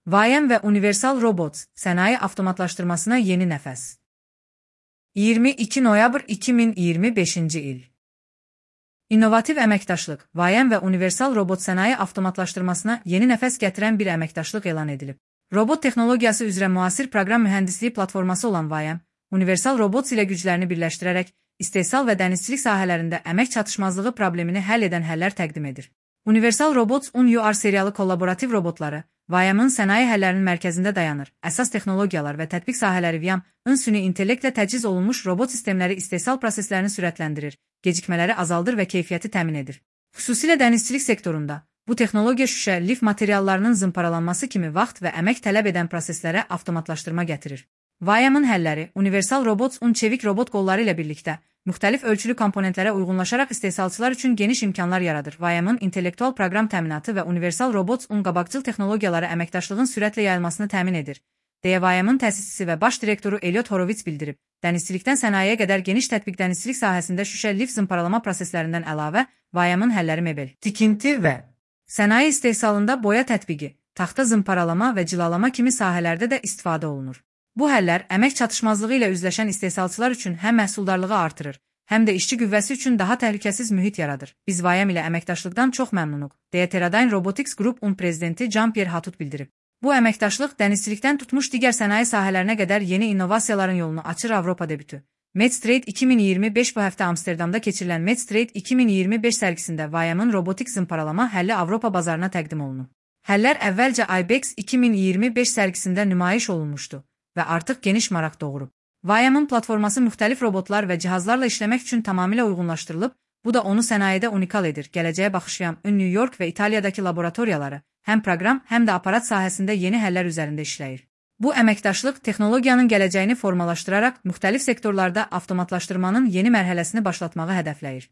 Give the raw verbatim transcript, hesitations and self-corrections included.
Vayam və Universal Robots sənaye avtomatlaşdırmasına yeni nəfəs. iyirmi iki noyabr iki min iyirmi beşinci il. İnnovativ əməkdaşlıq, Vayam və Universal Robot sənaye avtomatlaşdırmasına yeni nəfəs gətirən bir əməkdaşlıq elan edilib. Robot texnologiyası üzrə müasir proqram mühəndisliyi platforması olan Vayam, Universal Robots ilə güclərini birləşdirərək istehsal və dənizçilik sahələrində əmək çatışmazlığı problemini həll edən həllər təqdim edir. Universal Robots U N U R seriyalı kollaborativ robotları Vayamın sənaye həllərinin mərkəzində dayanır. Əsas texnologiyalar və tətbiq sahələri Vayam-ın süni intellektlə təchiz olunmuş robot sistemləri istehsal proseslərini sürətləndirir, gecikmələri azaldır və keyfiyyəti təmin edir. Xüsusilə dənizçilik sektorunda bu texnologiya şüşə, lif materiallarının zımparalanması kimi vaxt və əmək tələb edən proseslərə avtomatlaşdırma gətirir. Vayamın həlləri Universal Robots Un çevik robot qolları ilə birlikdə müxtəlif ölçülü komponentlərə uyğunlaşaraq istehsalçılar üçün geniş imkanlar yaradır. Vayamın intellektual proqram təminatı və Universal Robots Un qabaqcıl texnologiyaları əməkdaşlığın sürətlə yayılmasını təmin edir, deyə Vayamın təsisçisi və baş direktoru Elliot Horowitz bildirib. Dənizçilikdən sənayeyə qədər geniş tətbiq dənizçilik sahəsində şüşə lif zımparalama proseslərindən əlavə, Vayamın həlləri mebel, tikinti və sənaye istehsalında boya tətbiqi, taxta zımparalama və cilalama kimi sahələrdə də istifadə olunur. Bu həllər əmək çatışmazlığı ilə üzləşən istehsalçılar üçün həm məhsuldarlığı artırır, həm də işçi qüvvəsi üçün daha təhlükəsiz mühit yaradır. Biz Vayam ilə əməkdaşlıqdan çox məmnunuq, deyə Teradyne Robotics Group Un prezidenti Jean-Pierre Hatut bildirib. Bu əməkdaşlıq dənizçilikdən tutmuş digər sənaye sahələrinə qədər yeni innovasiyaların yolunu açır. Avropa debütü. MedTrade iki min iyirmi beş Bu həftə Amsterdamda keçirilən MedTrade iki min iyirmi beş sərgisində Vayamın robotik zımparalama həlli Avropa bazarına təqdim olunub. Həllər əvvəlcə IBEX iki min iyirmi beş sərgisində nümayiş olunmuşdu və artıq geniş maraq doğurub. Vayamın platforması müxtəlif robotlar və cihazlarla işləmək üçün tamamilə uyğunlaşdırılıb, bu da onu sənayedə unikal edir. Gələcəyə baxış Vayam, New York və İtaliyadakı laboratoriyaları həm proqram, həm də aparat sahəsində yeni həllər üzərində işləyir. Bu əməkdaşlıq texnologiyanın gələcəyini formalaşdıraraq müxtəlif sektorlarda avtomatlaşdırmanın yeni mərhələsini başlatmağı hədəfləyir.